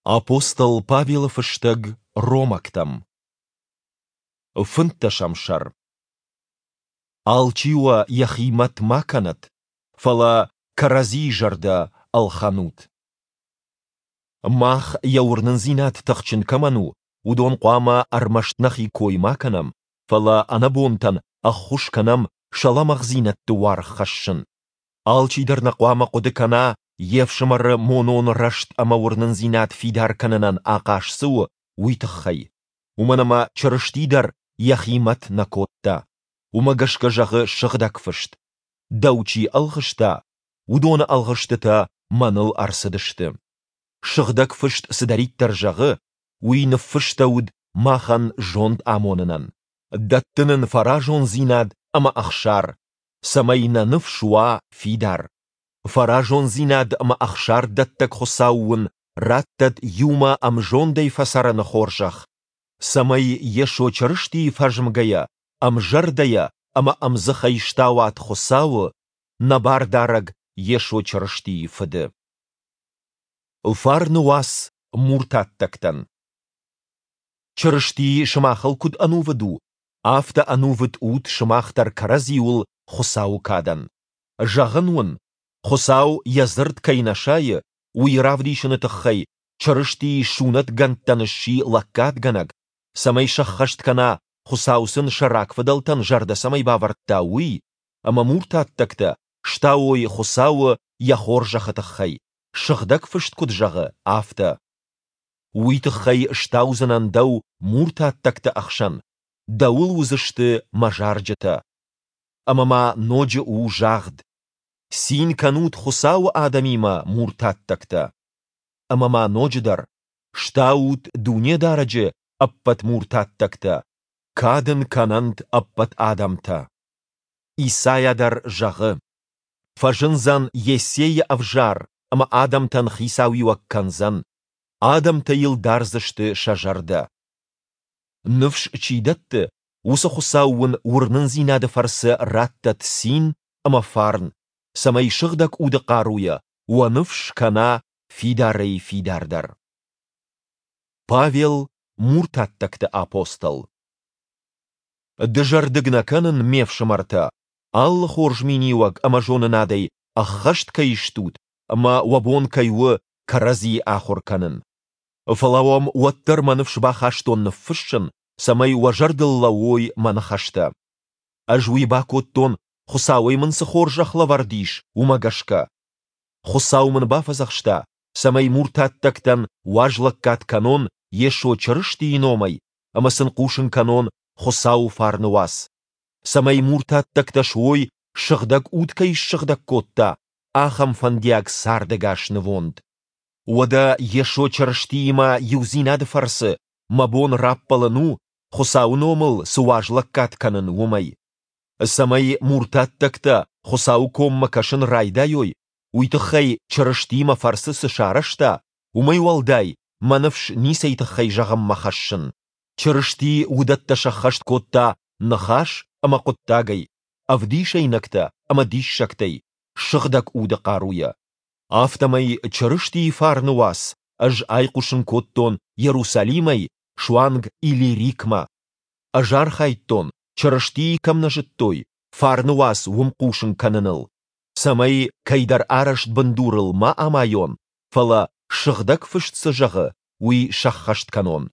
Апостол Павелы фыстӕг Ромӕгтӕм. Фынддӕсӕм сӕр. Алчи уӕ йӕхи мӕт ма кӕнӕд, фӕлӕ кӕрӕдзийы зӕрдӕ ӕлхӕнут. Мах, йӕ уырнындзинад тыхджын кӕмӕн у, уыдон хъуамӕ ӕрмӕст нӕхи кой ма кӕнӕм, фӕлӕ ӕнӕбонтӕн ӕххуыс кӕнӕм сӕ лӕмӕгъдзинӕдты уаргъ хӕссын. Алчидӕр нӕ хъуамӕ хъуыды кӕна, йе фсымӕры монон рӕзт ӕмӕ уырнындзинад фидар кӕнынӕн ахъаз цы у, уый тыххӕй. Уымӕн ӕмӕ Чырысти дӕр йӕхи мӕт нӕ кодта. Уымӕ гӕсгӕ зӕгъы Сыгъдӕг Фыст: Дӕу чи ӕлгъыста, уыдоны ӕлгъыстытӕ мӕныл ӕрцыдысты. Сыгъдӕг Фыст цыдӕриддӕр зӕгъы, уый ныффыстӕуыд махӕн зонд амонынӕн, дӕтты нын фӕразондзинад ӕмӕ ӕхсар, цӕмӕй нӕ ныфс уа фидар. Фӕразондзинад ӕмӕ ӕхсардӕттӕг Хуыцау уын раттӕд иумӕ ӕмзондӕй фӕцӕрыны хорзӕх, цӕмӕй Йесо Чырыстийы фӕзмгӕйӕ, ӕмзӕрдӕйӕ ӕмӕ ӕмдзыхӕй стауат Хуыцауы, нӕ Бардарӕг Йесо Чырыстийы Фыды. Фарны уац муртаттӕгтӕн. Чырысти сымахыл куыд ӕнувыд у, афтӕ ӕнувыд ут сымах дӕр кӕрӕдзиуыл Хуыцауы кадӕн. Зӕгъын уын, Хуыцау йӕ дзырд кӕй нӕ сайы, уый равдисыны тыххӕй Чырысти сунӕтгӕндтӕн сси лӕггадгӕнӕг, цӕмӕй сӕххӕст кӕна, Хуыцау сын сӕ рагфыдӕлтӕн зӕрдӕ цӕмӕй бавӕрдта, уый, ӕмӕ муртаттӕгтӕ стауой Хуыцауы йӕ хорзӕхы тыххӕй, Сыгъдӕг Фыст куыд зӕгъы, афтӕ. Уый тыххӕй стаудзынӕн дӕу муртаттӕгты ӕхсӕн, дӕуыл уыдзысты мӕ зарджытӕ. Ӕмӕ ма ноджы у загъд: Цин кӕнут Хуыцауы адӕмимӕ, муртаттӕгтӕ. Ӕмӕ ма ноджыдӕр: Стаут Дунедарӕджы ӕппӕт муртаттӕгтӕ, кад ын кӕнӕнт ӕппӕт адӕмтӕ. Исайа дӕр зӕгъы: Фӕзындзӕн Йессейы ӕвзар ӕмӕ адӕмтӕн хицауиуӕг кӕндзӕн, адӕмтӕ йыл дардзысты сӕ зӕрдӕ. Ныфс чи дӕтты, уыцы Хуыцау уын уырнындзинады фӕрцы раттӕд цин ӕмӕ фарн, цӕмӕй Сыгъдӕг Уды хъаруйӕ уӕ ныфс кӕна фидарӕй-фидардӕр. Павел, муртаттӕгты апостол. Дызӕрдыг нӕ кӕнын, ме фсымӕртӕ, алы хорз миниуӕг ӕмӕ зонынадӕй ӕххӕст кӕй стут ӕмӕ уӕ бон кӕй у кӕрӕдзи ахуыр кӕнын. Фӕлӕ уӕм уӕддӕр мӕ ныфс бахастон ныффыссын, цӕмӕй уӕ зӕрдыл лӕууой мӕ ныхӕстӕ. Ӕз уый бакодтон, Хуыцауӕй мын цы хорзӕх лӕвӕрд ис, уымӕ гӕсгӕ. Хуыцау мын бафӕдзӕхста, цӕмӕй муртаттӕгтӕн уазлӕггад кӕнон Йесо Чырыстийы номӕй ӕмӕ сын хъусын кӕнон Хуыцауы фарны уац, цӕмӕй муртаттӕгтӕ суой, Сыгъдӕг Уд кӕй ссыгъдӕг кодта, ахӕм фӕндиаг цардӕгас нывонд. Уӕдӕ Йесо Чырыстиимӕ иудзинады фӕрцы мӕ бон раппӕлын у, Хуыцауы номыл цы уазлӕггад кӕнын, уымӕй. Цӕмӕй муртаттӕгтӕ Хуыцауы коммӕ кӕсын райдайой, уый тыххӕй Чырысти мӕ фӕрцы цы сарӕзта, уымӕй уӕлдай мӕ ныфс ницӕй тыххӕй зӕгъынмӕ хӕссын. Чырысти уыдӕттӕ сӕххӕст кодта ныхас ӕмӕ хъуыддагӕй, ӕвдисӕйнӕгтӕ ӕмӕ диссӕгтӕй, Сыгъдӕг Уды хъаруйӕ. Афтӕмӕй Чырыстийы фарны уац ӕз айхъуысын кодтон Иерусалимӕй суанг Илирикмӕ. Ӕз архайдтон, Чырыстийы кӕм нӕ зыдтой, фарны уац уым хъусын кӕныныл, цӕмӕй кӕйдӕр арӕзт бындурыл ма амайон, фӕлӕ, Сыгъдӕг Фыст цы зӕгъы, уый сӕххӕст кӕнон.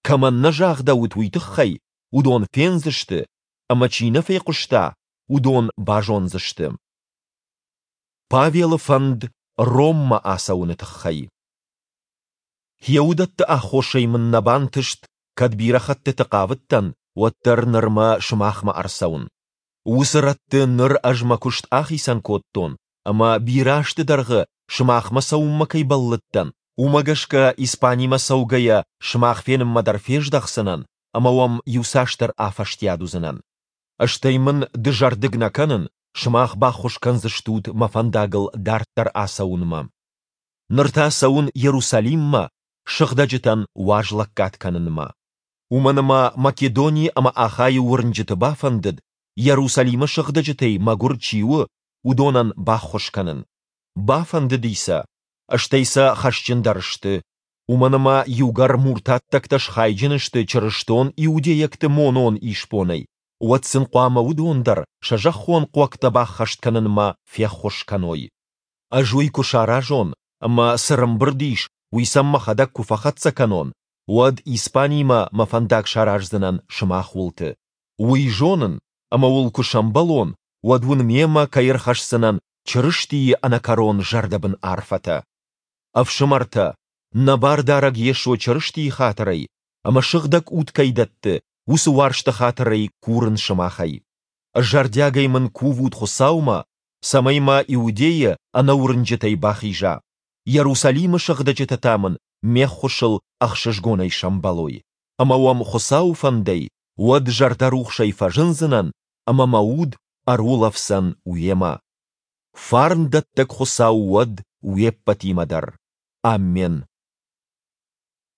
Кӕмӕн нӕ загъдӕуыд уый тыххӕй, уыдон фендзысты, ӕмӕ чи нӕ фехъуыста, уыдон базондзысты. Павелы фӕнд Роммӕ ацӕуыны тыххӕй. Йӕ уыдӕтты аххосӕй мын нӕ бантыст, кӕд бирӕ хӕттыты хъавыдтӕн, уӕддӕр нырмӕ сымахмӕ ӕрцӕуын. Уыцы рӕтты ныр ӕз мӕ куыст ахицӕн кодтон, ӕмӕ бирӕ азты дӕргъы сымахмӕ цӕуынмӕ кӕй бӕллыдтӕн, уымӕ гӕсгӕ Испанимӕ цӕугӕйӕ сымах фенынмӕ дӕр фездӕхдзынӕн ӕмӕ уӕм иуцасдӕр афӕстиат уыдзынӕн. Стӕй мын дызӕрдыг нӕ кӕнын, сымах баххуыс кӕндзыстут мӕ фӕндагыл дарддӕр ацӕуынмӕ. Ныр та цӕуын Иерусалиммӕ, сыгъдӕджытӕн уазлӕггад кӕнынмӕ. Уымӕн ӕмӕ Македони ӕмӕ Ахайы уырнджыты бафӕндыд, Иерусалимы сыгъдӕджытӕй мӕгуыр чи у, уыдонӕн баххуыс кӕнын. Бафӕндыди сӕ, стӕй сӕ хӕсджын дӕр сты. Уымӕн ӕмӕ иугӕр муртаттӕгтӕ схайджын сты чырыстон иудейӕгты монон исбонӕй, уӕд сын хъуамӕ уыдон дӕр сӕ зӕххон хъуӕгтӕ баххӕст кӕнынмӕ феххуыс кӕной. Ӕз уый куы саразон, ӕмӕ цы рӕмбырд ис, уый сӕм мӕхӕдӕг куы фӕхӕццӕ кӕнон, уӕд Испанимӕ мӕ фӕндаг сараздзынӕн сымах уылты. Уый зонын, ӕмӕ уыл куы сӕмбӕлон, уӕд уын мемӕ кӕй ӕрхӕсдзынӕн Чырыстийы ӕнӕкӕрон зӕрдӕбын арфӕтӕ. Ӕфсымӕртӕ, нӕ Бардарӕг Йесо Чырыстийы хатырӕй ӕмӕ Сыгъдӕг Уд кӕй дӕтты, уыцы уарзты хатырӕй курын сымахӕй. Зӕрдиагӕй мын кувут Хуыцаумӕ, цӕмӕй мӕ Иудейы ӕнӕуырнджытӕй бахиза, Иерусалимы сыгъдӕджытӕ та мын ме ххуысыл ӕхсызгонӕй сӕмбӕлой. Ӕмӕ уӕм Хуыцауы фӕндӕй уӕд зӕрдӕрухсӕй фӕзындзынӕн ӕмӕ мӕ уд ӕрулӕфдзӕн уемӕ. Фарн дӕттӕг Хуыцау уӕд уе ппӕтимӕ дӕр. Аммен.